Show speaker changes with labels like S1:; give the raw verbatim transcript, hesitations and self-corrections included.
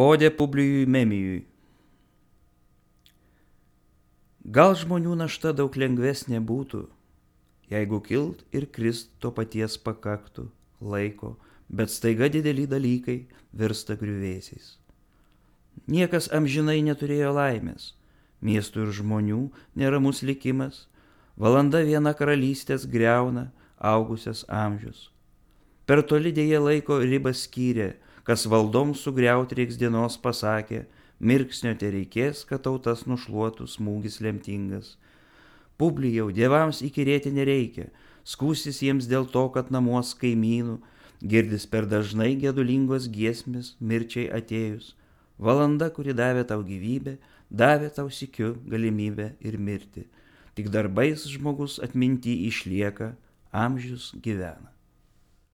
S1: Odė Publijui Memijui. Gal žmonių našta daug lengvesnė būtų, jeigu kilt ir krist to paties pakaktų laiko, bet staiga dideli dalykai virsta griuvėsiais. Niekas amžinai neturėjo laimės, miestų ir žmonių neramus likimas, valanda viena karalystės griauna augusias amžius. Per toli dėja laiko ribas skyrė, kas valdom sugriaut reiks dienos pasakė, mirksnio te reikės, kad tautas nušluotų smūgis lemtingas. Publijau, dievams įkyrėti nereikia, skūsis jiems dėl to, kad namuos kaimynų girdis per dažnai gedulingos giesmės mirčiai atėjus. Valanda, kuri davė tau gyvybę, davė tau sykiu galimybę ir mirti. Tik darbais žmogus atminty išlieka, amžius gyvena.